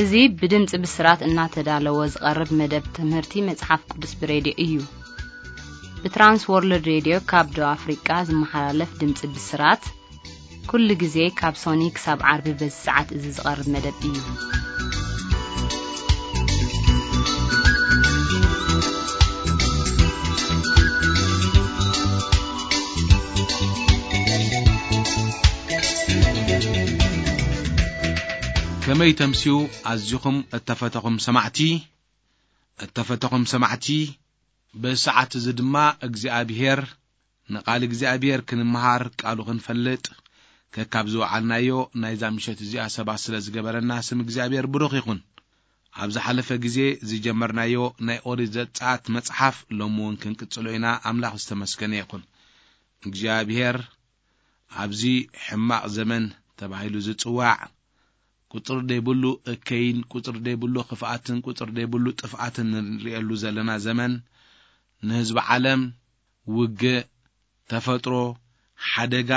እዚ ብድምፂ ብስራት እናተዳለወ ዝቐርብ መደብ ትምህርቲ መጽሓፍ ቅዱስ ብሬድዮ እዩ። ብትራንስ ወርልድ ሬድዮ ካብ ደቡብ ኣፍሪቃ ዝመሓላለፍ ድምፂ ብስራት፣ ኩሉ ግዜ ካብ ሶኒ ክሳብ ዓርቢ በዚ ሰዓት እዚ ዝቐርብ መደብ እዩ። ከመይ ተምስዩ ኣዚኹም እተፈተኹም ሰማዕቲ፣ እተፈተኹም ሰማዕቲ፣ በዚ ሰዓት እዚ ድማ እግዚኣብሔር፣ ንቓል እግዚኣብሔር ክንምሃር፣ ቃሉ ክንፈልጥ፣ ከካብ ዝወዓልናዮ ናይዛ ምሸት እዚኣ ሰባት ስለ ዝገበረና ስም እግዚኣብሔር ብሩኽ ይኹን። ኣብ ዝሓለፈ ግዜ ዝጀመርናዮ ናይ ኦሪት ዘጸኣት መጽሓፍ ሎሚ እውን ክንቅጽሎ ኢና። ኣምላኽ ዝተመስገነ ይኹን። እግዚኣብሔር ኣብዚ ሕማቕ ዘመን ተባሂሉ ዝጽዋዕ፣ ቁጽሪ ደይብሉ እከይን ቁጽሪ ደይብሉ ክፍኣትን ቁጽሪ ደይብሉ ጥፍኣትን ንርእየሉ ዘለና ዘመን፣ ንህዝቢ ዓለም ውግእ፣ ተፈጥሮ፣ ሓደጋ፣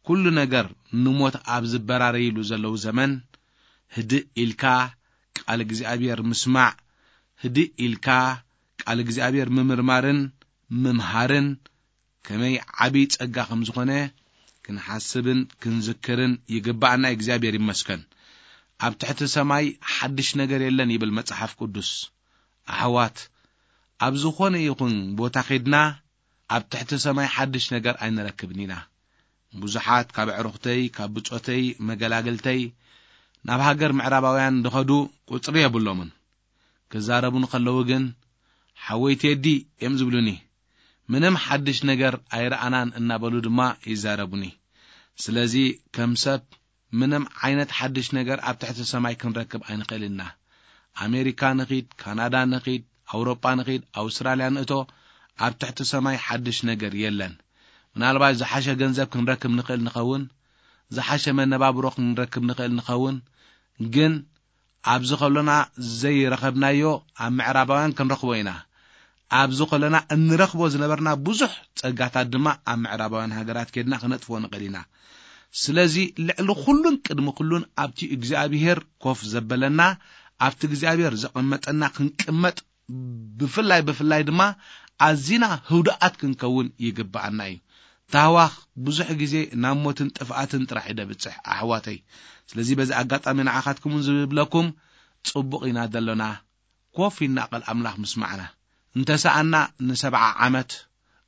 ኩሉ ነገር ንሞት ኣብ ዝበራረይሉ ዘለዉ ዘመን፣ ህድእ ኢልካ ቃል እግዚኣብሔር ምስማዕ፣ ህድእ ኢልካ ቃል እግዚኣብሔር ምምርማርን ምምሃርን ከመይ ዓቢ ጸጋ ከም ዝኾነ ክንሓስብን ክንዝክርን ይግባኣና። እግዚኣብሔር ይመስገን። ኣብ ትሕቲ ሰማይ ሓድሽ ነገር የለን ይብል መጽሓፍ ቅዱስ። ኣሕዋት፣ ኣብ ዝኾነ ይኹን ቦታ ኸድና ኣብ ትሕቲ ሰማይ ሓድሽ ነገር ኣይንረክብን ኢና። ብዙሓት ካብ ኣዕሩኽተይ፣ ካብ ብጾተይ፣ መገላግልተይ ናብ ሃገር ምዕራባውያን ዝኸዱ ቁጽሪ የብሎምን። ክዛረቡ እንከለዉ ግን፣ "ሓወይ ቴዲ" እዮም ዝብሉኒ። "ምንም ሓድሽ ነገር ኣይረኣናን" እናበሉ ድማ ይዛረቡኒ። ስለዚ ከም ሰብ ምንም ዓይነት ሓድሽ ነገር ኣብ ትሕቲ ሰማይ ክንረክብ ኣይንኽእልን ኢና። ኣሜሪካ ንኺድ፣ ካናዳ ንኺድ፣ ኣውሮጳ ንኺድ፣ ኣውስትራልያ ንእቶ፣ ኣብ ትሕቲ ሰማይ ሓድሽ ነገር የለን። ምናልባት ዝሓሸ ገንዘብ ክንረክብ ንኽእል ንኸውን፣ ዝሓሸ መነባብሮ ክንረክብ ንኽእል ንኸውን፣ ግን ኣብዚ ከሎና ዘይረኸብናዮ ኣብ ምዕራባውያን ክንረኽቦ ኢና። ኣብዚ ከለና እንረኽቦ ዝነበርና ብዙሕ ጸጋታት ድማ ኣብ ምዕራባውያን ሃገራት ኬድና ክነጥፍዎ ንኽእል ኢና። ስለዚ ልዕሊ ኩሉን ቅድሚ ኩሉን ኣብቲ እግዚኣብሄር ኮፍ ዘበለና፣ ኣብቲ እግዚኣብሄር ዘቐመጠና ክንቅመጥ፣ ብፍላይ ብፍላይ ድማ ኣዚና ህውዳኣት ክንከውን ይግብኣና እዩ። ታህዋኽ ብዙሕ ግዜ ናብ ሞትን ጥፍኣትን ጥራሕ እዩ ደብጽሕ ኣሕዋተይ። ስለዚ በዚ ኣጋጣሚ ንዓኻትኩም እውን ዝብለኩም፣ ጽቡቕ ኢና ዘሎና፣ ኮፍ ኢልና ቃል ኣምላኽ ምስማዕና። እንተሰኣና ንሰብዓ ዓመት፣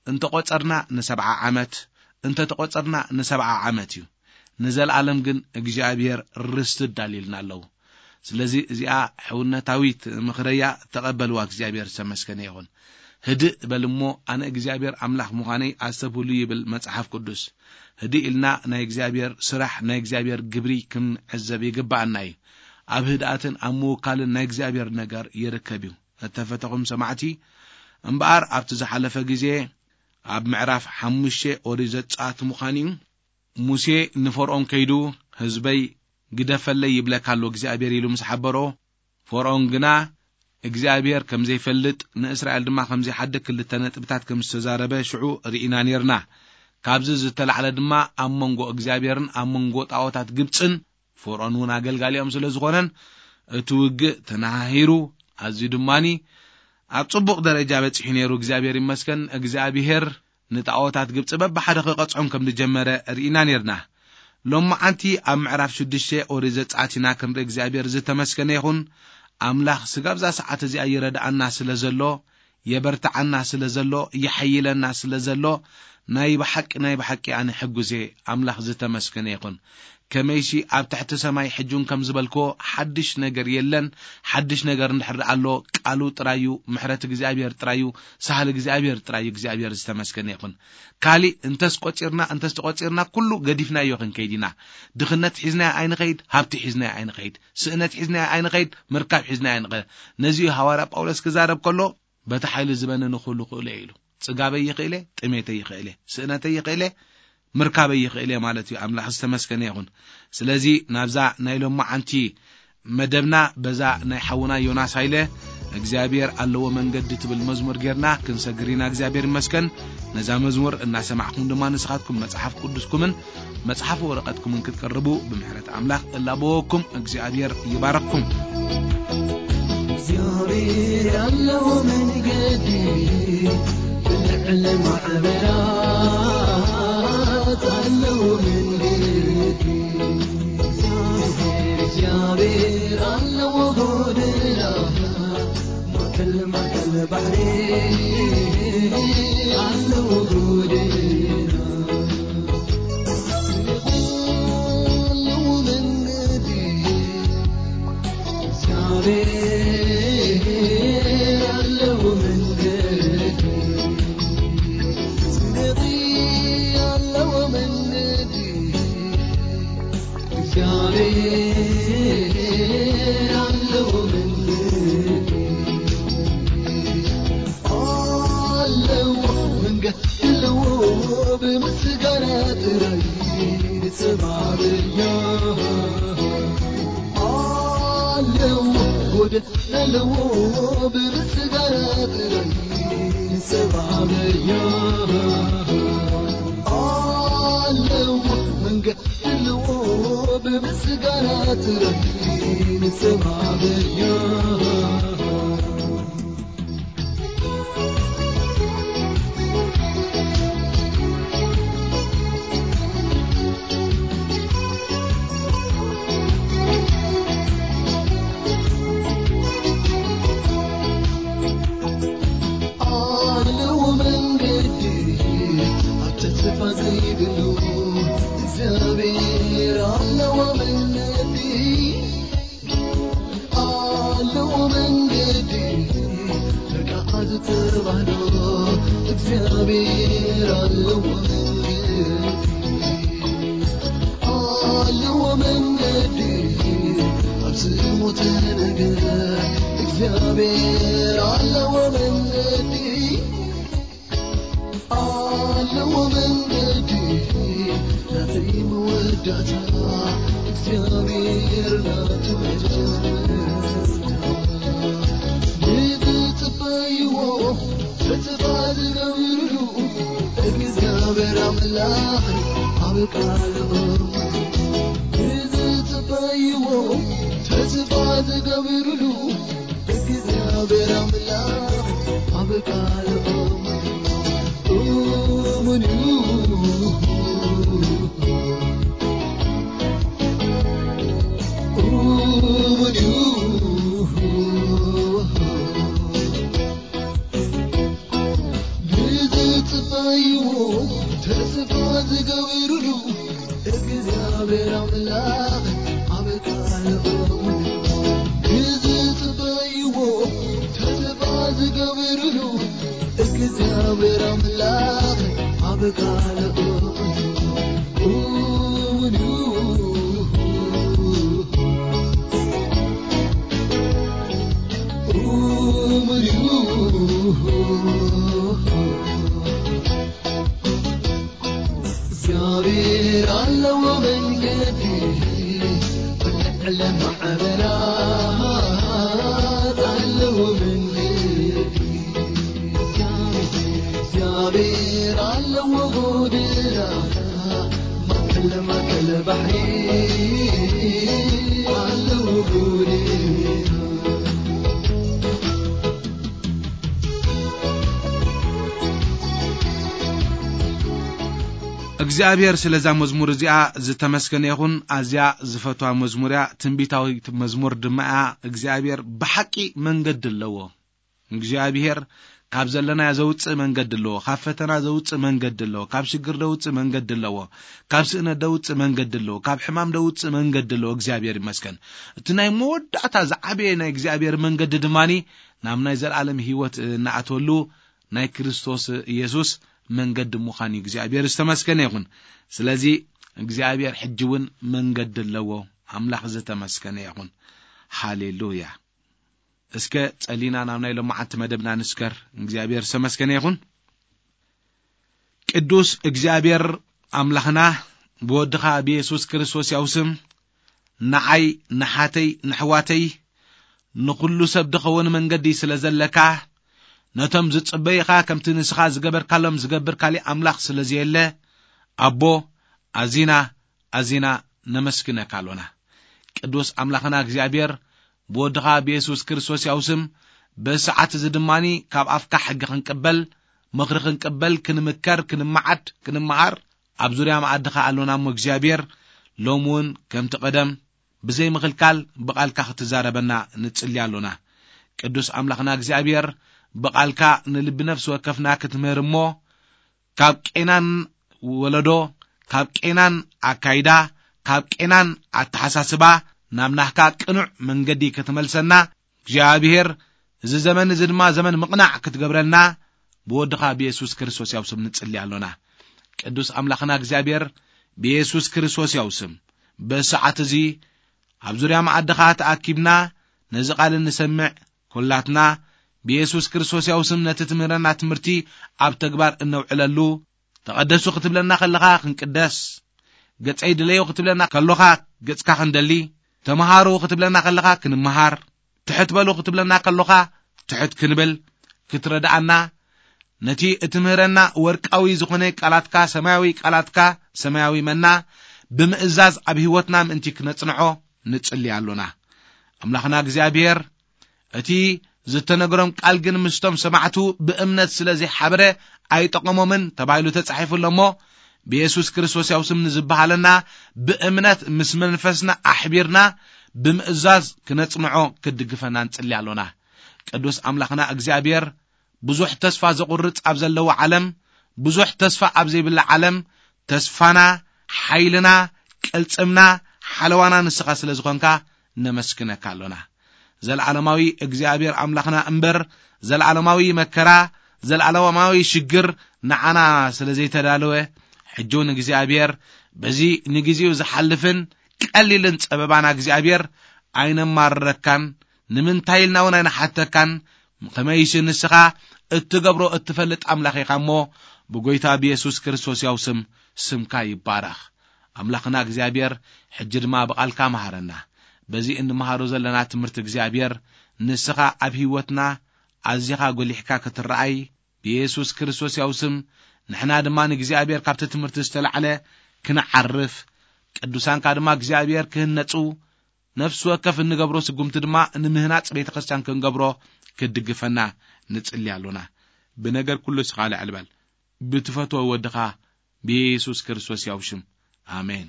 እንተቖጸርና ንሰብዓ ዓመት፣ እንተተቖጸርና ንሰብዓ ዓመት እዩ። ንዘለኣለም ግን እግዚኣብሔር ርስቲ ኣዳልዩልና ኣለዉ። ስለዚ እዚኣ ሕውነታዊት ምኽረያ ተቐበልዋ፣ እግዚኣብሔር ዝተመስገነ ይኹን። ህድእ በል እሞ ኣነ እግዚኣብሔር ኣምላኽ ምዃነይ ኣስተብህሉ ይብል መጽሓፍ ቅዱስ። ህድእ ኢልና ናይ እግዚኣብሔር ስራሕ፣ ናይ እግዚኣብሔር ግብሪ ክንዕዘብ ይግብኣና እዩ። ኣብ ህድኣትን ኣብ ምውካልን ናይ እግዚኣብሔር ነገር ይርከብ እዩ። እተፈተኹም ሰማዕቲ፣ እምበኣር ኣብቲ ዝሓለፈ ግዜ ኣብ ምዕራፍ ሓሙሽተ ኦሪት ዘጸኣት ምዃን እዩ። ሙሴ ንፈርኦን ከይዱ፣ "ህዝበይ ግደፈለይ ይብለካ ኣሎ እግዚኣብሔር" ኢሉ ምስ ሓበሮ፣ ፈርኦን ግና እግዚኣብሔር ከም ዘይፈልጥ፣ ንእስራኤል ድማ ከም ዘይሓድግ ክልተ ነጥብታት ከም ዝተዛረበ ሽዑ ርኢና ኔርና። ካብዚ ዝተላዕለ ድማ ኣብ መንጎ እግዚኣብሔርን ኣብ መንጎ ጣዖታት ግብጽን፣ ፈርኦን እውን ኣገልጋሊኦም ስለ ዝኾነን፣ እቲ ውግእ ተነሃሂሩ፣ ኣዝዩ ድማኒ ኣብ ጽቡቕ ደረጃ በጺሑ ነይሩ። እግዚኣብሔር ይመስገን። እግዚኣብሔር ንጣዖታት ግብጺ በብሓደ ክቐጽዖም ከም ዝጀመረ ርኢና ኔርና። ሎማዓንቲ ኣብ ምዕራፍ ሽዱሽተ ኦሪት ዘጸኣት ኢና ክንርኢ። እግዚኣብሔር ዝተመስገነ ይኹን። ኣምላኽ ስጋብ እዛ ሰዓት እዚኣ ይረድኣና ስለ ዘሎ፣ የበርትዓና ስለ ዘሎ፣ ይሓይለና ስለ ዘሎ፣ ናይ ብሓቂ፣ ናይ ብሓቂ ኣነ ሕጉስ እየ። ኣምላኽ ዝተመስገነ ይኹን። ከመይሲ ኣብ ትሕቲ ሰማይ ሕጂ እውን ከም ዝበልክዎ ሓድሽ ነገር የለን። ሓድሽ ነገር እንድሕር ደኣ ኣሎ፣ ቃሉ ጥራይ እዩ፣ ምሕረት እግዚኣብሔር ጥራይ እዩ፣ ሳህሊ እግዚኣብሔር ጥራይ እዩ። እግዚኣብሔር ዝተመስገነ ይኹን። ካሊእ እንተስ ቆጺርና፣ እንተስ ተቆጺርና፣ ኩሉ ገዲፍናዮ ክንከይድ ኢና። ድኽነት ሒዝናዮ ኣይንኸይድ፣ ሃብቲ ሒዝናዮ ኣይንኸይድ፣ ስእነት ሒዝናዮ ኣይንኸይድ፣ ምርካብ ሒዝናዮ ኣይንኸይድ። ነዚ እዩ ሃዋርያ ጳውሎስ ክዛረብ ከሎ፣ "በቲ ሓይሊ ዝበነ ንኹሉ ክእሎ እየ" ኢሉ። ጽጋበይ ይኽእለ፣ ጥሜተይ ይኽእለ፣ ስእነተይ ይኽእለ፣ ምርካበይ ይኽእለ ማለት እዩ። ኣምላኽ ዝተመስገነ ይኹን። ስለዚ ናብዛ ናይ ሎማዓንቲ መደብና በዛ ናይ ሓውና ዮናስ ሃይለ "እግዚኣብሔር ኣለዎ መንገዲ" ትብል መዝሙር ጌርና ክንሰግር ኢና። እግዚኣብሔር ይመስገን። ነዛ መዝሙር እናሰማዕኩም ድማ ንስኻትኩም መጽሓፍ ቅዱስኩምን መጽሓፍ ወረቐትኩምን ክትቀርቡ ብምሕረት ኣምላኽ እላበወኩም። እግዚኣብሔር ይባረክኩም። እግዚኣብሔር ኣለዎ መንገዲ፣ ብልዕሊ ማዕበላት ኣለዎ መንገዲ። እግዚኣብሔር ኣለዎ ጎደና፣ ማእከል ማእከል ባሕሪ ኣለዎ ጎደና። ኣለዎ መንገድ ኣለዎ፣ ብምስጋና ጥራይ ንሰማርያ ኣለዎ፣ ጎደና ኣለዎ፣ ብምስጋና ጥራይ ንሰማርያ ኣለዎ፣ መንገድ ኣለዎ፣ ብምስጋና ጥራይ ንሰማርያ። ኣለዎ መንገዲ ኣብ ተስፋ ዘይብሉ፣ እግዚኣብሔር ኣለዎ መንገዲ። ኣለዎ መንገዲ፣ በቃ ዝተባህሎ፣ እግዚኣብሔር ኣለዎ መንገዲ። ኣለዎ መንገዲ፣ ኣብ ስሙ ተነገረ፣ እግዚኣብሔር ኣለዎ መንገዲ። ኣለዎ መንገዲ ናተይ መወዳእታ፣ እግዚኣብሔር ናቱ መጀመርታ። ንዝጽበይዎ ተስፋ ዝገብርሉ፣ እግዚኣብሔር ኣምላኽ ኣብ ቃሉ። ንዝጽበይዎ ተስፋ ዝገብርሉ፣ እግዚኣብሔር ኣምላኽ ኣብ ቃሉ እሙን እዩ። እሙን እዩ። ንዝጽበይዎ ተስፋ ዝገብርሉ፣ እግዚኣብሔር ኣምላኽ ኣብ ቃሉ እሙን እዩ። ንዝጽበይዎ ተስፋ ዝገብርሉ፣ እግዚኣብሔር ኣምላኽ ኣብ ቃሉ እሙን እዩ። እሙን እዩ። እሙን እዩ። እግዚኣብሔር ኣለዎ መንገዲ፣ ብልዕሊ ማዕበላት ኣለዎ መንገዲ። እግዚኣብሔር ኣለዎ ጎደና፣ ማእከል ማእከል ባሕሪ ኣለዎ ጎደና። እግዚኣብሔር ስለዛ መዝሙር እዚኣ ዝተመስገነ ይኹን። ኣዝያ ዝፈትዋ መዝሙር እያ። ትንቢታዊት መዝሙር ድማ እያ። እግዚኣብሔር ብሓቂ መንገዲ ኣለዎ። እግዚኣብሔር ካብ ዘለናዮ ዘውፅእ መንገዲ ኣለዎ። ካብ ፈተና ዘውፅእ መንገዲ ኣለዎ። ካብ ሽግር ዘውፅእ መንገዲ ኣለዎ። ካብ ስእነት ዘውፅእ መንገዲ ኣለዎ። ካብ ሕማም ዘውፅእ መንገዲ ኣለዎ። እግዚኣብሔር ይመስገን። እቲ ናይ መወዳእታ ዝዓበየ ናይ እግዚኣብሔር መንገዲ ድማኒ ናብ ናይ ዘላለም ህይወት እንኣትወሉ ናይ ክርስቶስ ኢየሱስ መንገዲ ምዃን እዩ። እግዚኣብሔር ዝተመስገነ ይኹን። ስለዚ እግዚኣብሔር ሕጂ እውን መንገዲ ኣለዎ። ኣምላኽ ዝተመስገነ ይኹን። ሃሌሉያ። እስከ ጸሊና ናብ ናይ ሎማዓንቲ መደብና ንስከር። እግዚኣብሔር ዝተመስገነ ይኹን። ቅዱስ እግዚኣብሔር ኣምላኽና፣ ብወድኻ ብየሱስ ክርስቶስ ያው ስም ንዓይ፣ ንሓተይ፣ ንሕዋተይ፣ ንኹሉ ሰብ ድኸውን መንገዲ ስለ ዘለካ፣ ነቶም ዝጽበዩኻ ከምቲ ንስኻ ዝገበርካሎም ዝገብር ካሊእ ኣምላኽ ስለ ዘየለ፣ ኣቦ፣ ኣዚና፣ ኣዚና ነመስግነካ ኣሎና። ቅዱስ ኣምላኽና እግዚኣብሔር፣ ብወድኻ ብየሱስ ክርስቶስ ያው ስም፣ በዚ ሰዓት እዚ ድማኒ ካብ ኣፍካ ሕጊ ክንቅበል፣ ምኽሪ ክንቅበል፣ ክንምከር፣ ክንመዓድ፣ ክንመሃር ኣብ ዙርያ መኣድኻ ኣሎና እሞ እግዚኣብሔር፣ ሎሚ እውን ከምቲ ቀደም ብዘይ ምኽልካል ብቓልካ ክትዛረበና ንጽሊ ኣሎና። ቅዱስ ኣምላኽና እግዚኣብሔር፣ ብቓልካ ንልቢ ነፍሲ ወከፍና ክትምህር እሞ፣ ካብ ቄናን ወለዶ፣ ካብ ቄናን ኣካይዳ፣ ካብ ቄናን ኣተሓሳስባ ናብ ናህካ ቅኑዕ መንገዲ ክትመልሰና፣ እግዚኣብሔር፣ እዚ ዘመን እዚ ድማ ዘመን ምቕናዕ ክትገብረልና ብወድኻ ብየሱስ ክርስቶስ ያው ስም ንጽሊ ኣሎና። ቅዱስ ኣምላኽና እግዚኣብሔር፣ ብየሱስ ክርስቶስ ያው ስም በዚ ሰዓት እዚ ኣብ ዙርያ መኣድኻ ተኣኪብና ነዚ ቃል እንሰምዕ ኩላትና ብየሱስ ክርስቶስ ያው ስም ነቲ ትምህረና ትምህርቲ ኣብ ተግባር እነውዕለሉ፣ ተቐደሱ ክትብለና ከለኻ ክንቅደስ፣ ገጸይ ድለዮ ክትብለና ከሎኻ ገጽካ ክንደሊ፣ ተመሃሩ ክትብለና ከለኻ ክንመሃር፣ ትሕት በሉ ክትብለና ከሎኻ ትሕት ክንብል፣ ክትረድኣና፣ ነቲ እትምህረና ወርቃዊ ዝኾነ ቃላትካ፣ ሰማያዊ ቃላትካ፣ ሰማያዊ መና ብምእዛዝ ኣብ ህይወትና ምእንቲ ክነጽንዖ ንጽሊ ኣሎና። ኣምላኽና እግዚኣብሔር፣ እቲ ዝተነግሮም ቃል ግን ምስቶም ሰማዕቱ ብእምነት ስለ ዘይሓበረ ኣይጠቐሞምን ተባሂሉ ተጻሒፉ ኣሎ እሞ፣ ብየሱስ ክርስቶስ ያው ስም ንዝበሃለና ብእምነት ምስ መንፈስና ኣሕቢርና ብምእዛዝ ክነጽንዖ ክድግፈና ንጽሊ ኣሎና። ቅዱስ ኣምላኽና እግዚኣብሔር፣ ብዙሕ ተስፋ ዘቑርጽ ኣብ ዘለዎ ዓለም፣ ብዙሕ ተስፋ ኣብ ዘይብላ ዓለም፣ ተስፋና፣ ሓይልና፣ ቅልጽምና፣ ሓለዋና ንስኻ ስለ ዝኾንካ ነመስግነካ ኣሎና። ዘለዓለማዊ እግዚኣብሔር ኣምላኽና እምበር፣ ዘለዓለማዊ መከራ፣ ዘለዓለማዊ ሽግር ንዓና ስለ ዘይተዳለወ፣ ሕጂ እውን እግዚኣብሔር በዚ ንግዜኡ ዝሓልፍን ቀሊልን ጸበባና እግዚኣብሔር ኣይነማርረካን፣ ንምንታይ ኢልና እውን ኣይንሓተካን፣ ከመይሲ ንስኻ እትገብሮ እትፈልጥ ኣምላኽ ኢኻ እሞ፣ ብጎይታ ብየሱስ ክርስቶስ ያው ስም፣ ስምካ ይባረኽ። ኣምላኽና እግዚኣብሔር፣ ሕጂ ድማ ብቓልካ መሃረና። በዚ እንመሃሮ ዘለና ትምህርቲ እግዚኣብሔር፣ ንስኻ ኣብ ህይወትና ኣዚኻ ጎሊሕካ ክትረኣይ፣ ብየሱስ ክርስቶስ ያው ስም፣ ንሕና ድማ ንእግዚኣብሔር ካብቲ ትምህርቲ ዝተላዕለ ክንዓርፍ፣ ቅዱሳንካ ድማ እግዚኣብሔር ክህነጹ፣ ነፍሲ ወከፍ እንገብሮ ስጉምቲ ድማ ንምህናጽ ቤተ ክርስቲያን ክንገብሮ ክትድግፈና ንጽሊ ኣሎና። ብነገር ኩሉ እስኻ ልዕል በል። ብትፈትዎ ወድኻ ብየሱስ ክርስቶስ ያው ሽም። ኣሜን።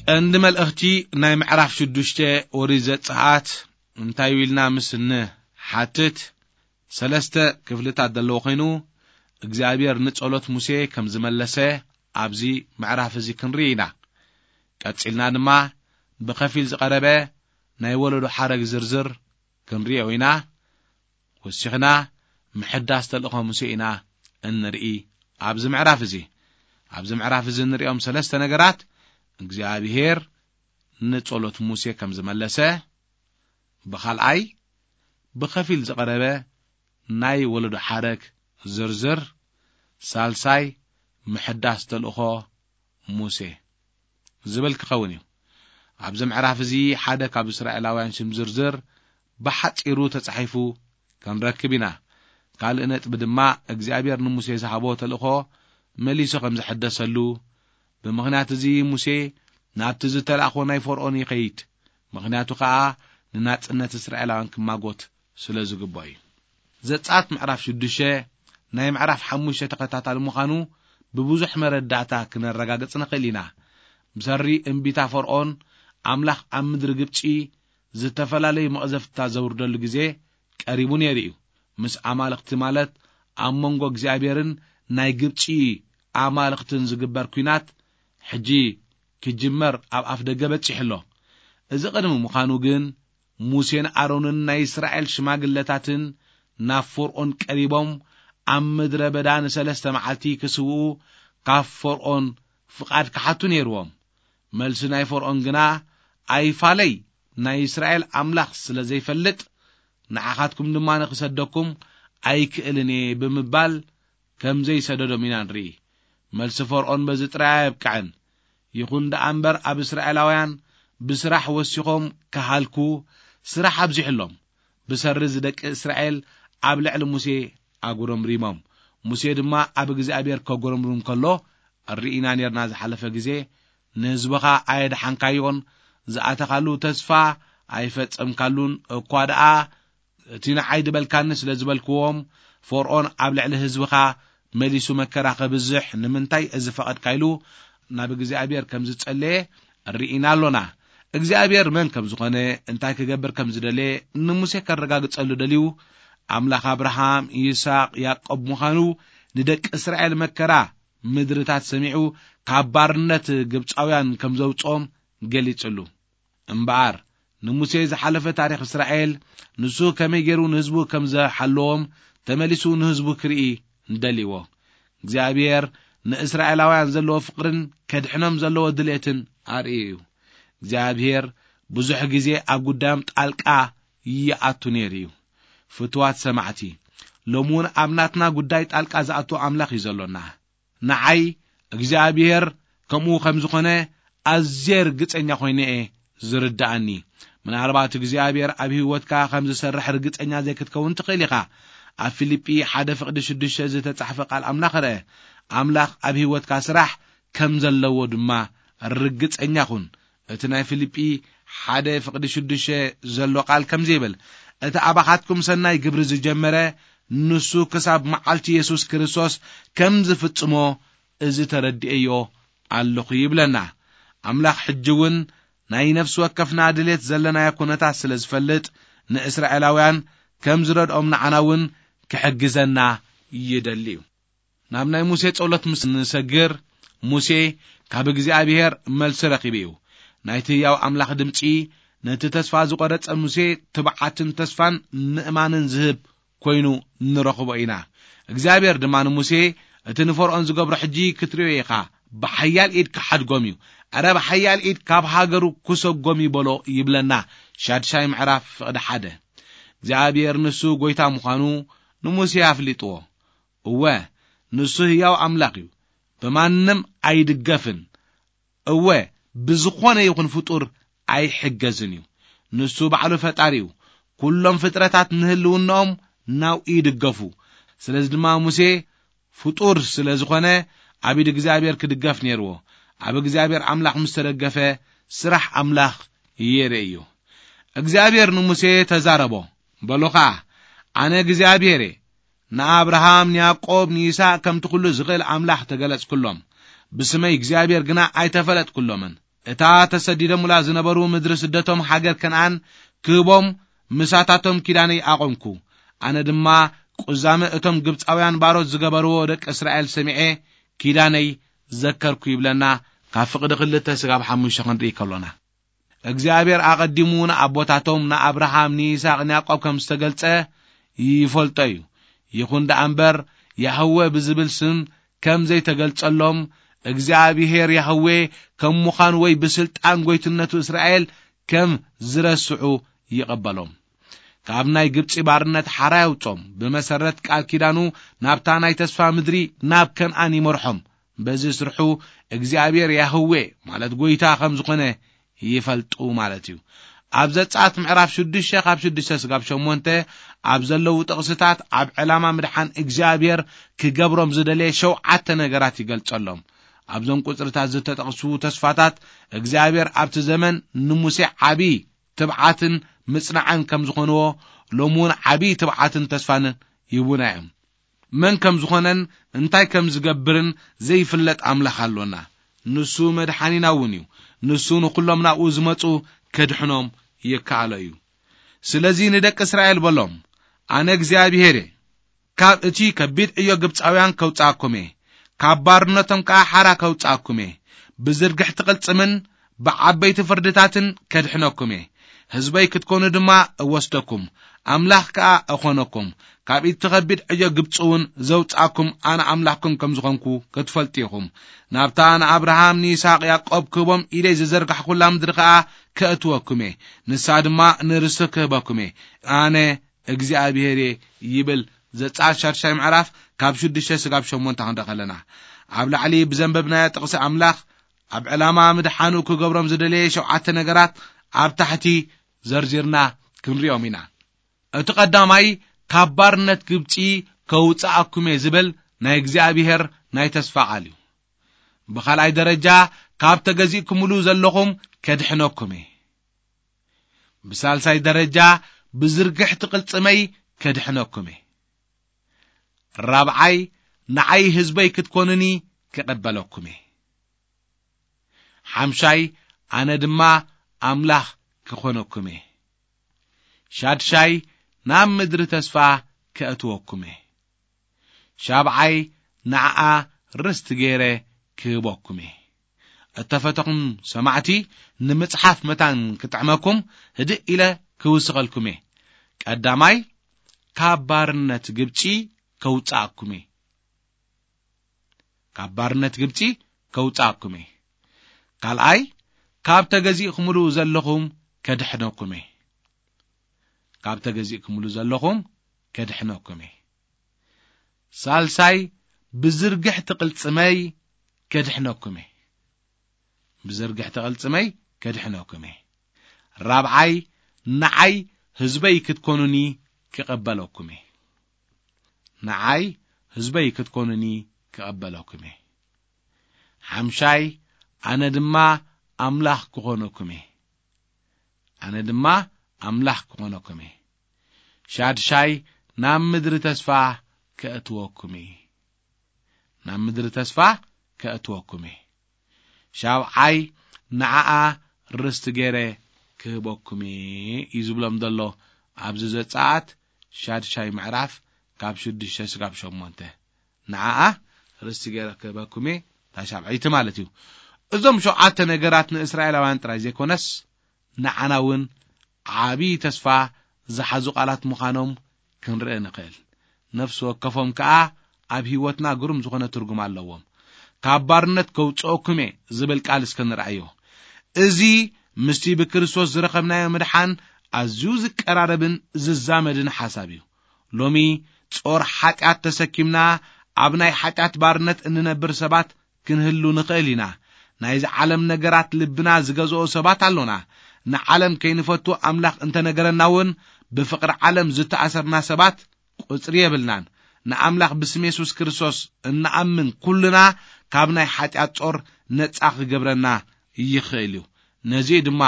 ቀንዲ መልእኽቲ ናይ ምዕራፍ ሽዱሽተ ኦሪት ዘጸኣት እንታይ ኢልና ምስ እንሓትት፣ ሰለስተ ክፍልታት ዘለዎ ኮይኑ፣ እግዚኣብሔር ንጸሎት ሙሴ ከም ዝመለሰ ኣብዚ ምዕራፍ እዚ ክንርኢ ኢና። ቀጺልና ድማ ብኸፊል ዝቐረበ ናይ ወለዶ ሓረግ ዝርዝር ክንርእዮ ኢና። ወሲኽና ምሕዳስ ተልእኾ ሙሴ ኢና እንርኢ። ኣብዚ ምዕራፍ እዚ፣ ኣብዚ ምዕራፍ እዚ እንርእዮም ሰለስተ ነገራት እግዚኣብሔር ንጸሎት ሙሴ ከም ዝመለሰ፣ ብኻልኣይ ብኸፊል ዝቐረበ ናይ ወለዶ ሓረግ ዝርዝር፣ ሳልሳይ ምሕዳስ ተልእኾ ሙሴ ዝብል ክኸውን እዩ። ኣብዚ ምዕራፍ እዚ ሓደ ካብ እስራኤላውያን ሽም ዝርዝር ብሓጺሩ ተጻሒፉ ክንረክብ ኢና። ካልእ ነጥቢ ድማ እግዚኣብሔር ንሙሴ ዝሃቦ ተልእኾ መሊሱ ከም ዝሕደሰሉ፣ ብምኽንያት እዚ ሙሴ ናብቲ ዝተላእኾ ናይ ፈርኦን ይኸይድ፣ ምኽንያቱ ኸኣ ንናጽነት እስራኤላውያን ክማጎት ስለ ዝግብኦ እዩ። ዘጸኣት ምዕራፍ ሽዱሽተ ናይ ምዕራፍ ሓሙሽተ ተኸታታሊ ምዃኑ ብብዙሕ መረዳእታ ክነረጋግጽ ንኽእል ኢና። ብሰሪ እምቢታ ፈርኦን፣ ኣምላኽ ኣብ ምድሪ ግብጺ ዝተፈላለዩ መቕዘፍትታት ዘውርደሉ ግዜ ቀሪቡ ነይሩ እዩ። ምስ ኣማልኽቲ፣ ማለት ኣብ መንጎ እግዚኣብሔርን ናይ ግብጺ ኣማልኽትን ዝግበር ኲናት፣ ሕጂ ክጅመር ኣብ ኣፍ ደገ በጺሑ ኣሎ። እዚ ቅድሚ ምዃኑ ግን፣ ሙሴን ኣሮንን ናይ እስራኤል ሽማግለታትን ናብ ፈርኦን ቀሪቦም፣ ኣብ ምድረ በዳ ንሰለስተ መዓልቲ ክስውኡ ካብ ፈርኦን ፍቓድ ክሓቱ ነይርዎም። መልሲ ናይ ፈርኦን ግና፣ ኣይፋለይ፣ ናይ እስራኤል ኣምላኽ ስለ ዘይፈልጥ፣ ንዓኻትኩም ድማ ንኽሰደኩም ኣይክእልን እየ ብምባል ከም ዘይሰደዶም ኢና ንርኢ። መልሲ ፈርዖን በዚ ጥራይ ኣየብቅዐን። ይኹን ደኣ እምበር፣ ኣብ እስራኤላውያን ብስራሕ ወሲኾም ክሃልኩ፣ ስራሕ ኣብዚሑሎም፣ ብሰሪ እዚ ደቂ እስራኤል ኣብ ልዕሊ ሙሴ ኣጉረምሪሞም። ሙሴ ድማ ኣብ እግዚኣብሔር ከጉረምርም ከሎ ርኢና ኔርና። ዝሓለፈ ግዜ ንህዝብኻ ኣየድሓንካዮን፣ ዝኣተኻሉ ተስፋ ኣይፈጸምካሉን። እኳ ደኣ እቲ ንዓይ ድበልካኒ ስለ ዝበልክዎም፣ ፈርዖን ኣብ ልዕሊ ህዝብኻ መሊሱ መከራ ከብዝሕ ንምንታይ እዚ ፈቐድካ ኢሉ ናብ እግዚኣብሔር ከም ዝጸለየ ርኢና ኣሎና። እግዚኣብሔር መን ከም ዝኾነ፣ እንታይ ክገብር ከም ዝደለየ ንሙሴ ከረጋግጸሉ ደልዩ፣ ኣምላኽ ኣብርሃም፣ ይስሐቅ፣ ያዕቆብ ምዃኑ፣ ንደቂ እስራኤል መከራ ምድርታት ሰሚዑ ካብ ባርነት ግብጻውያን ከም ዘውጽኦም ገሊጽሉ። እምበኣር ንሙሴ ዝሓለፈ ታሪኽ እስራኤል፣ ንሱ ከመይ ገይሩ ንህዝቡ ከም ዝሓለዎም ተመሊሱ ንህዝቡ ክርኢ ደልዎ። እግዚኣብሔር ንእስራኤላውያን ዘለዎ ፍቕርን ከድሕኖም ዘለዎ ድሌትን ኣርእዩ እዩ። እግዚኣብሔር ብዙሕ ግዜ ኣብ ጉዳዮም ጣልቃ ይኣቱ ነይሩ እዩ። ፍትዋት ሰማዕቲ፣ ሎሚ እውን ኣብ ናትና ጉዳይ ጣልቃ ዝኣቱ ኣምላኽ እዩ ዘሎና። ንዓይ እግዚኣብሔር ከምኡ ከም ዝኾነ ኣዝየ ርግጸኛ ኮይነ እየ ዝርድኣኒ። ምናልባት እግዚኣብሔር ኣብ ህይወትካ ከም ዝሰርሕ ርግጸኛ ዘይክትከውን ትኽእል ኢኻ። ኣብ ፊልጲ ሓደ ፍቕዲ ሽዱሽተ ዝተጻሕፈ ቃል ኣምላኽ ርአ። ኣምላኽ ኣብ ህይወትካ ስራሕ ከም ዘለዎ ድማ ርግጸኛ ኩን። እቲ ናይ ፊልጲ ሓደ ፍቕዲ ሽዱሽተ ዘሎ ቃል ከምዚ ይብል፣ "እቲ ኣባኻትኩም ሰናይ ግብሪ ዝጀመረ፣ ንሱ ክሳብ መዓልቲ የሱስ ክርስቶስ ከም ዝፍጽሞ፣ እዚ ተረዲኤዮ ኣለኹ" ይብለና። ኣምላኽ ሕጂ እውን ናይ ነፍሲ ወከፍና ድሌት ዘለናዮ ኩነታት ስለ ዝፈልጥ፣ ንእስራኤላውያን ከም ዝረድኦም ንዓና እውን ክሕግዘና ይደሊ እዩ። ናብ ናይ ሙሴ ጸሎት ምስ ንሰግር፣ ሙሴ ካብ እግዚኣብሔር መልሲ ረኺቡ እዩ። ናይቲ ህያው ኣምላኽ ድምጺ ነቲ ተስፋ ዝቖረጸ ሙሴ ትብዓትን ተስፋን ምእማንን ዝህብ ኮይኑ ንረኽቦ ኢና። እግዚኣብሔር ድማ ንሙሴ፣ "እቲ ንፈርዖን ዝገብሮ ሕጂ ክትርእዮ ኢኻ። ብሓያል ኢድ ክሓድጎም እዩ። ኣረ ብሓያል ኢድ ካብ ሃገሩ ክሰጎም እዩ በሎ" ይብለና። ሻድሻይ ምዕራፍ ፍቕዲ ሓደ። እግዚኣብሔር ንሱ ጐይታ ምዃኑ ንሙሴ ኣፍሊጥዎ። እወ፣ ንሱ ህያው ኣምላኽ እዩ፣ ብማንም ኣይድገፍን። እወ፣ ብዝኾነ ይኹን ፍጡር ኣይሕገዝን እዩ። ንሱ ባዕሉ ፈጣሪ እዩ። ኩሎም ፍጥረታት ንህልውናኦም ናብኡ ይድገፉ። ስለዚ ድማ ሙሴ ፍጡር ስለ ዝኾነ ኣብ ኢድ እግዚኣብሔር ክድገፍ ነይርዎ። ኣብ እግዚኣብሔር ኣምላኽ ምስ ተደገፈ፣ ስራሕ ኣምላኽ የርኢ እዩ። እግዚኣብሔር ንሙሴ ተዛረቦ፣ በሎ ኸኣ፣ "ኣነ እግዚኣብሔር እየ። ንኣብርሃም፣ ንያዕቆብ፣ ንይስሐቅ ከምቲ ኩሉ ዝኽእል ኣምላኽ ተገለጽኩሎም። ብስመይ እግዚኣብሔር ግና ኣይተፈለጥኩሎምን። እታ ተሰዲዶምላ ዝነበሩ ምድሪ ስደቶም ሃገር ከነኣን ክህቦም ምሳታቶም ኪዳነይ ኣቖምኩ። ኣነ ድማ ቁዛመ እቶም ግብጻውያን ባሮት ዝገበርዎ ደቂ እስራኤል ሰሚዔ ኪዳነይ ዘከርኩ" ይብለና። ካብ ፍቕዲ ክልተ ስጋብ ሓሙሽተ ክንርኢ ከሎና፣ እግዚኣብሔር ኣቐዲሙ ንኣቦታቶም ንኣብርሃም፣ ንይስሐቅ፣ ንያዕቆብ ከም ዝተገልጸ ይፈልጦ እዩ። ይኹን ደኣ እምበር፣ ያህወ ብዝብል ስም ከም ዘይተገልጸሎም፣ እግዚኣብሔር ያህዌ ከም ምዃኑ ወይ ብስልጣን ጐይትነቱ እስራኤል ከም ዝረስዑ ይቐበሎም። ካብ ናይ ግብጺ ባርነት ሓራ የውጾም፣ ብመሰረት ቃል ኪዳኑ ናብታ ናይ ተስፋ ምድሪ፣ ናብ ከነኣን ይመርሖም። በዚ ስርሑ እግዚኣብሔር ያህዌ፣ ማለት ጐይታ ከም ዝኾነ ይፈልጡ ማለት እዩ። ኣብ ዘጸኣት ምዕራፍ ሽዱሽተ ካብ ሽዱሽተ ስጋብ ሸሞንተ ኣብ ዘለዉ ጥቕስታት፣ ኣብ ዕላማ ምድሓን እግዚኣብሔር ክገብሮም ዝደለየ ሸውዓተ ነገራት ይገልጸሎም። ኣብዞም ቁጽርታት ዝተጠቕሱ ተስፋታት፣ እግዚኣብሔር ኣብቲ ዘመን ንሙሴ ዓቢ ትብዓትን ምጽናዕን ከም ዝኾንዎ፣ ሎሚ እውን ዓቢ ትብዓትን ተስፋን ይህቡና እዮም። መን ከም ዝኾነን እንታይ ከም ዝገብርን ዘይፍለጥ ኣምላኽ ኣሎና። ንሱ መድሓኒና እውን እዩ። ንሱ ንኹሎም ናብኡ ዝመጹ ከድሕኖም ይከኣሎ እዩ። ስለዚ ንደቂ እስራኤል በሎም፣ "ኣነ እግዚኣብሔር እየ። ካብ እቲ ከቢድ ዕዮ ግብጻውያን ከውጽኣኩም እየ። ካብ ባርነቶም ከኣ ሓራ ከውጽኣኩም እየ። ብዝርግሕቲ ቅልጽምን ብዓበይቲ ፍርድታትን ከድሕነኩም እየ። ህዝበይ ክትኮኑ ድማ እወስደኩም፣ ኣምላኽ ከኣ እኾነኩም። ካብ እቲ ከቢድ ዕዮ ግብጺ እውን ዘውጽኣኩም ኣነ ኣምላኽኩም ከም ዝኾንኩ ክትፈልጡ ኢኹም። ናብታ ንኣብርሃም፣ ንይስሐቅ፣ ያዕቆብ ክህቦም ኢደይ ዝዘርጋሕኩላ ምድሪ ከኣ ከእትወኩም እየ። ንሳ ድማ ንርስቲ ክህበኩም እየ። ኣነ እግዚኣብሔር እየ" ይብል ዘጸኣት ሻድሻይ ምዕራፍ ካብ ሽዱሽተ ስጋብ ሸሞንተ ክንርኢ ከለና፣ ኣብ ላዕሊ ብዘንበብናዮ ጥቕሲ ኣምላኽ ኣብ ዕላማ ምድሓኑ ክገብሮም ዝደለየ ሸውዓተ ነገራት ኣብ ታሕቲ ዘርዚርና ክንሪኦም ኢና። እቲ ቀዳማይ፣ ካብ ባርነት ግብጺ ከውጽኣኩም እየ ዝብል ናይ እግዚኣብሔር ናይ ተስፋ ቃል እዩ። ብኻልኣይ ደረጃ፣ ካብ ተገዚእኩምሉ ዘለኹም ከድሕነኩም እየ። ብሳልሳይ ደረጃ፣ ብዝርግሕቲ ቅልጽመይ ከድሕነኩም እየ። ራብዓይ፣ ንዓይ ህዝበይ ክትኮኑኒ ክቕበለኩም እየ። ሓምሻይ፣ ኣነ ድማ ኣምላኽ ክኾነኩም እየ። ሻድሻይ፣ ናብ ምድሪ ተስፋ ከእትወኩም እየ። ሻብዓይ፣ ንዓኣ ርስቲ ገይረ ክህበኩም እየ። እተፈተኹም ሰማዕቲ፣ ንምጽሓፍ መታን ክጥዕመኩም ህድእ ኢለ ክውስኸልኩም እየ። ቀዳማይ፣ ካብ ባርነት ግብጺ ከውጽኣኩም እየ። ካብ ባርነት ግብጺ ከውጽኣኩም እየ። ካልኣይ፣ ካብ ተገዚእኩምሉ ዘለኹም ከድሕነኩም እየ። ካብ ተገዚእኩምሉ ዘለኹም ከድሕነኩም እየ። ሳልሳይ፣ ብዝርግሕቲ ቅልጽመይ ከድሕነኩም እየ። ብዝርግሕቲ ቅልጽመይ ከድሕነኩም እየ። ራብዓይ፣ ንዓይ ህዝበይ ክትኮኑኒ ክቐበለኩም እየ። ንዓይ ህዝበይ ክትኮኑኒ ክቐበለኩም እየ። ሓምሻይ፣ ኣነ ድማ ኣምላኽ ክኾነኩም እየ። ኣነ ድማ ኣምላኽ ክኾነኩም እየ። ሻድሻይ፣ ናብ ምድሪ ተስፋ ከእትወኩም እየ። ናብ ምድሪ ተስፋ ከእትወኩም እየ። ሻብዓይ፣ ንዓኣ ርስቲ ገይረ ክህበኩም እየ እዩ ዝብሎም ዘሎ ኣብዚ ዘጸኣት ሻድሻይ ምዕራፍ ካብ ሽዱሽተ ስጋብ ሸሞንተ። ንዓኣ ርስቲ ገይረ ክህበኩም እየ፣ እታ ሻብዐይቲ ማለት እዩ። እዞም ሸውዓተ ነገራት ንእስራኤላውያን ጥራይ ዘይኮነስ ንዓና እውን ዓቢ ተስፋ ዝሓዙ ቃላት ምዃኖም ክንርኢ ንኽእል። ነፍሲ ወከፎም ከኣ ኣብ ህይወትና ግሩም ዝኾነ ትርጉም ኣለዎም። ካብ ባርነት ከውጽኦኩም እየ ዝብል ቃል እስከ ንርኣዮ። እዚ ምስቲ ብክርስቶስ ዝረኸብናዮ ምድሓን ኣዝዩ ዝቀራረብን ዝዛመድን ሓሳብ እዩ። ሎሚ ጾር ሓጢኣት ተሰኪምና ኣብ ናይ ሓጢኣት ባርነት እንነብር ሰባት ክንህሉ ንኽእል ኢና። ናይዚ ዓለም ነገራት ልብና ዝገዝኦ ሰባት ኣሎና። ንዓለም ከይንፈቱ ኣምላኽ እንተነገረና እውን፣ ብፍቕሪ ዓለም ዝተኣሰርና ሰባት ቁጽሪ የብልናን። ንኣምላኽ ብስም የሱስ ክርስቶስ እንኣምን ኩልና ካብ ናይ ሓጢኣት ጾር ነጻ ክገብረና ይኽእል እዩ። ነዚ ድማ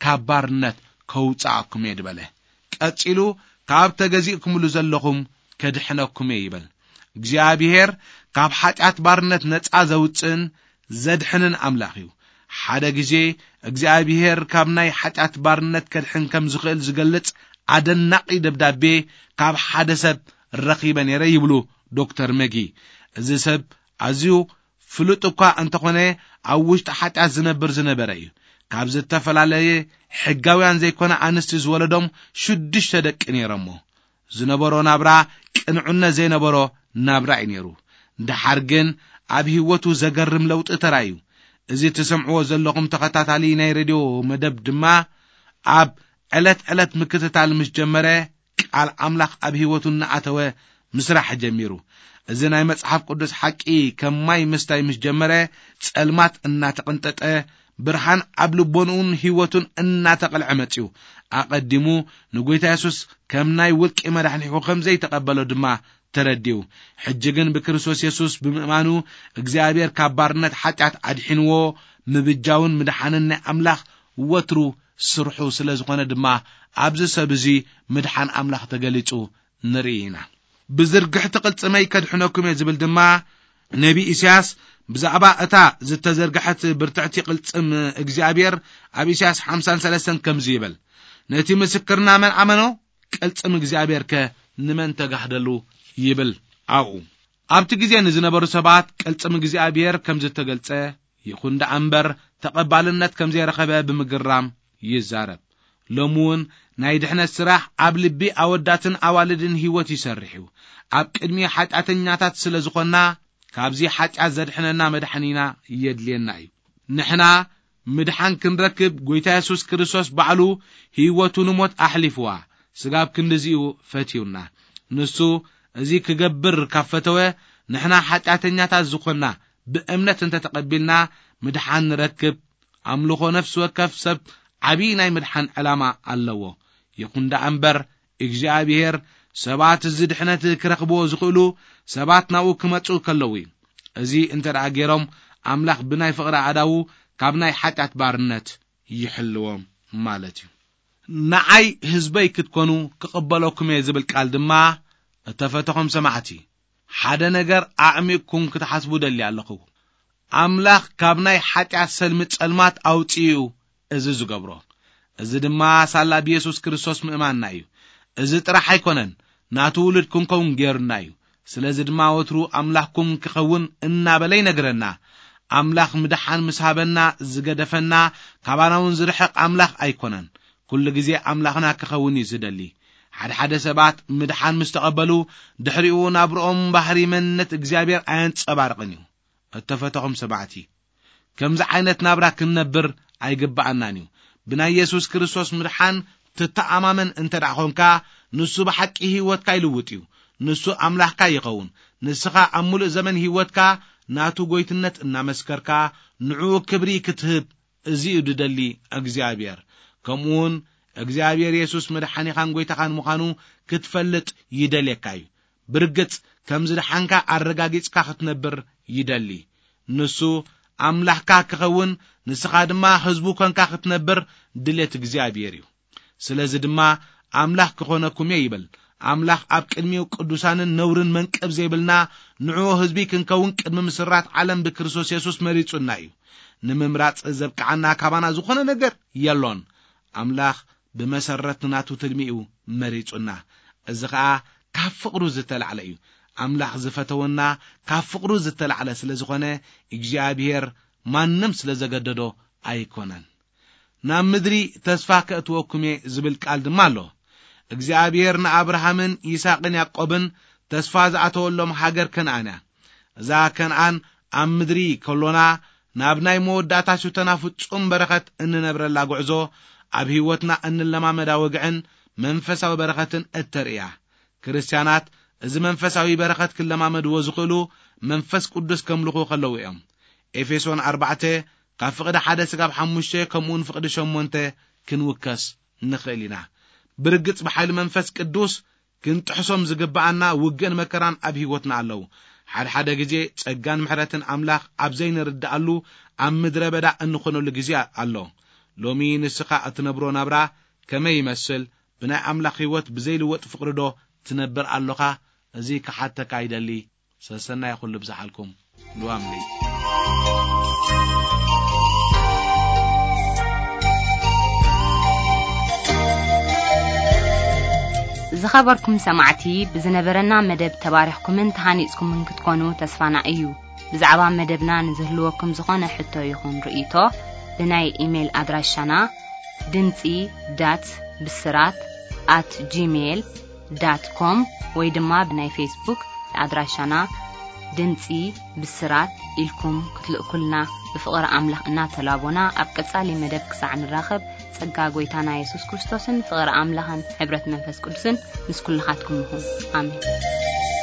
ካብ ባርነት ከውጽኣኩም እየ ዝበለ። ቀጺሉ፣ ካብ ተገዚእኩምሉ ዘለኹም ከድሕነኩም እየ ይብል። እግዚኣብሔር ካብ ሓጢኣት ባርነት ነጻ ዘውጽእን ዘድሕንን ኣምላኽ እዩ። ሓደ ግዜ እግዚኣብሔር ካብ ናይ ሓጢኣት ባርነት ከድሕን ከም ዝኽእል ዝገልጽ ኣደናቂ ደብዳቤ ካብ ሓደ ሰብ ረኺበ ነይረ ይብሉ ዶክተር መጊ። እዚ ሰብ ኣዝዩ ፍሉጥ እኳ እንተኾነ፣ ኣብ ውሽጢ ሓጢኣት ዝነብር ዝነበረ እዩ። ካብ ዝተፈላለየ ሕጋውያን ዘይኮነ ኣንስቲ ዝወለዶም ሽዱሽተ ደቂ ነይሮሞ። ዝነበሮ ናብራ ቅንዕነት ዘይነበሮ ናብራ እዩ ነይሩ። ደሓር ግን ኣብ ህይወቱ ዘገርም ለውጢ ተራእዩ። እዚ ትሰምዕዎ ዘለኹም ተኸታታሊ ናይ ሬድዮ መደብ ድማ ኣብ ዕለት ዕለት ምክትታል ምስ ጀመረ፣ ቃል ኣምላኽ ኣብ ህይወቱ እናኣተወ ምስራሕ ጀሚሩ። እዚ ናይ መጽሓፍ ቅዱስ ሓቂ ከም ማይ ምስታይ ምስ ጀመረ፣ ጸልማት እናተቐንጠጠ፣ ብርሃን ኣብ ልቦንኡን ህይወቱን እናተቐልዐ መጺኡ። ኣቐዲሙ ንጎይታ የሱስ ከም ናይ ውልቂ መድሓኒኡ ከም ዘይተቐበሎ ድማ ተረዲኡ። ሕጂ ግን ብክርስቶስ የሱስ ብምእማኑ እግዚኣብሔር ካብ ባርነት ሓጢኣት ኣድሒንዎ፣ ምብጃውን ምድሓንን ናይ ኣምላኽ ወትሩ ስርሑ ስለ ዝኾነ ድማ ኣብዚ ሰብ እዚ ምድሓን ኣምላኽ ተገሊጹ ንርኢ ኢና። ብዝርግሕቲ ቅልጽመይ ከድሕነኩም እየ ዝብል ድማ ነቢ ኢሳያስ ብዛዕባ እታ ዝተዘርግሐት ብርትዕቲ ቅልጽም እግዚኣብሔር ኣብ ኢሳያስ ሓምሳን ሰለስተን ከምዚ ይብል፣ ነቲ ምስክርና መን ኣመኖ? ቅልጽም እግዚኣብሔር ከ ንመን ተጋህደሉ? ይብል ኣብኡ። ኣብቲ ግዜ ንዝነበሩ ሰባት ቅልጽም እግዚኣብሔር ከም ዝተገልጸ ይኹን ደኣ እምበር ተቐባልነት ከም ዘይረኸበ ብምግራም ይዛረብ። ሎሚ እውን ናይ ድሕነት ስራሕ ኣብ ልቢ ኣወዳትን ኣዋልድን ህይወት ይሰርሕ እዩ። ኣብ ቅድሚ ሓጢኣተኛታት ስለ ዝኾንና ካብዚ ሓጢኣት ዘድሕነና መድሓኒና የድልየና እዩ። ንሕና ምድሓን ክንረክብ ጎይታ የሱስ ክርስቶስ ባዕሉ ህይወቱ ንሞት ኣሕሊፍዋ፣ ስጋብ ክንድዚኡ ፈትዩና። ንሱ እዚ ክገብር ካብ ፈተወ፣ ንሕና ሓጢኣተኛታት ዝኾንና ብእምነት እንተተቐቢልና፣ ምድሓን ንረክብ። ኣምልኾ ነፍሲ ወከፍ ሰብ ዓብዪ ናይ ምድሓን ዕላማ ኣለዎ። ይኹን ደኣ እምበር፣ እግዚኣብሔር ሰባት እዚ ድሕነት ክረኽብዎ ዝኽእሉ ሰባት ናብኡ ክመጹ ከለዉ እዩ። እዚ እንተ ደኣ ገይሮም፣ ኣምላኽ ብናይ ፍቕሪ ኣእዳዉ ካብ ናይ ሓጢኣት ባርነት ይሕልዎም ማለት እዩ። ንዓይ ህዝበይ ክትኮኑ ክቕበለኩም እየ ዝብል ቃል ድማ፣ እተፈተኹም ሰማዕቲ፣ ሓደ ነገር ኣዕሚቕኩም ክትሓስቡ ደሊ ኣለኹ። ኣምላኽ ካብ ናይ ሓጢኣት ሰልሚ ጸልማት ኣውጺኡ እዚ ዝገብሮ። እዚ ድማ ሳላ ብየሱስ ክርስቶስ ምእማንና እዩ። እዚ ጥራሕ ኣይኮነን፣ ናቱ ውሉድ ክንከውን ገይሩና እዩ። ስለዚ ድማ ወትሩ ኣምላኽኩም ክኸውን እናበለ ይነግረና። ኣምላኽ ምድሓን ምስ ሃበና ዝገደፈና፣ ካባና እውን ዝርሕቕ ኣምላኽ ኣይኮነን። ኩሉ ግዜ ኣምላኽና ክኸውን እዩ ዝደሊ። ሓደ ሓደ ሰባት ምድሓን ምስ ተቐበሉ፣ ድሕሪኡ ናብርኦም ባህሪ መንነት እግዚኣብሔር ኣየንጸባርቕን እዩ። እተፈተኹም ሰማዕቲ፣ ከምዚ ዓይነት ናብራ ክንነብር ኣይግብኣናን እዩ። ብናይ የሱስ ክርስቶስ ምድሓን ትተኣማመን እንተ ደኣ ኾንካ፣ ንሱ ብሓቂ ህይወትካ ይልውጥ እዩ። ንሱ ኣምላኽካ ይኸውን። ንስኻ ኣብ ምሉእ ዘመን ህይወትካ ናቱ ጎይትነት እናመስከርካ፣ ንዕኡ ክብሪ ክትህብ፣ እዚ እዩ ድደሊ እግዚኣብሔር። ከምኡውን እግዚኣብሔር የሱስ መድሓኒኻን ጎይታኻን ምዃኑ ክትፈልጥ ይደልየካ እዩ። ብርግጽ ከም ዝደሓንካ ኣረጋጊጽካ ክትነብር ይደሊ። ንሱ ኣምላኽካ ክኸውን፣ ንስኻ ድማ ህዝቡ ኮንካ ክትነብር ድሌት እግዚኣብሔር እዩ። ስለዚ ድማ ኣምላኽ ክኾነኩም እየ ይብል። ኣምላኽ ኣብ ቅድሚኡ ቅዱሳንን ነውርን መንቀብ ዘይብልና ንዕኡ ህዝቢ ክንከውን ቅድሚ ምስራት ዓለም ብክርስቶስ የሱስ መሪጹና እዩ። ንምምራጽ ዘብቅዓና ካባና ዝኾነ ነገር የሎን። ኣምላኽ ብመሰረት ናቱ ትልሚኡ መሪጹና። እዚ ኸኣ ካብ ፍቕሩ ዝተላዕለ እዩ። ኣምላኽ ዝፈተወና ካብ ፍቕሩ ዝተላዕለ ስለ ዝኾነ፣ እግዚኣብሔር ማንም ስለ ዘገደዶ ኣይኮነን። ናብ ምድሪ ተስፋ ከእትወኩም እየ ዝብል ቃል ድማ ኣሎ። እግዚኣብሔር ንኣብርሃምን ይስሐቅን ያዕቆብን ተስፋ ዝኣተወሎም ሃገር ከነኣን እያ። እዛ ከነኣን ኣብ ምድሪ ከሎና፣ ናብ ናይ መወዳእታ ሽቶና ፍጹም በረኸት እንነብረላ ጉዕዞ፣ ኣብ ህይወትና እንለማመዳ ወግዕን መንፈሳዊ በረኸትን እተርእያ። ክርስትያናት እዚ መንፈሳዊ በረኸት ክለማመድዎ ዝኽእሉ መንፈስ ቅዱስ ከምልኹ ከለዉ እዮም። ኤፌሶን ኣርባዕተ ካብ ፍቕዲ ሓደ ስጋብ ሓሙሽተ ከምኡውን ፍቕዲ ሸሞንተ ክንውከስ ንኽእል ኢና። ብርግጽ ብሓይሊ መንፈስ ቅዱስ ክንጥሕሶም ዝግብኣና ውግእን መከራን ኣብ ህይወትና ኣለዉ። ሓድሓደ ግዜ ጸጋን ምሕረትን ኣምላኽ ኣብ ዘይንርድኣሉ ኣብ ምድረ በዳ እንኾነሉ ግዜ ኣሎ። ሎሚ ንስኻ እትነብሮ ናብራ ከመይ ይመስል? ብናይ ኣምላኽ ህይወት ብዘይልወጥ ፍቕሪ ዶ ትነብር ኣሎኻ? እዚ ክሓተካ ይደሊ። ሰሰናይ ኩሉ ብዝሓልኩም። ሉዋምሊ። ዝኸበርኩም ሰማዕቲ፣ ብዝነበረና መደብ ተባሪኽኩምን ተሃኒጽኩምን ክትኮኑ ተስፋና እዩ። ብዛዕባ መደብና ንዝህልወኩም ዝኾነ ሕቶ ይኹን ርእይቶ፣ ብናይ ኢሜይል ኣድራሻና ድምጺ ዳት ብስራት ኣት ጂሜይል ዳት ኮም ወይ ድማ ብናይ ፌስቡክ ኣድራሻና ድምጺ ብስራት ኢልኩም ክትልእኩልና ብፍቕሪ ኣምላኽ እናተላቦና፣ ኣብ ቀጻሊ መደብ ክሳዕ ንራኸብ፣ ጸጋ ጎይታና የሱስ ክርስቶስን ፍቕሪ ኣምላኽን ሕብረት መንፈስ ቅዱስን ምስ ኩልኻትኩም ይኹን። ኣሜን።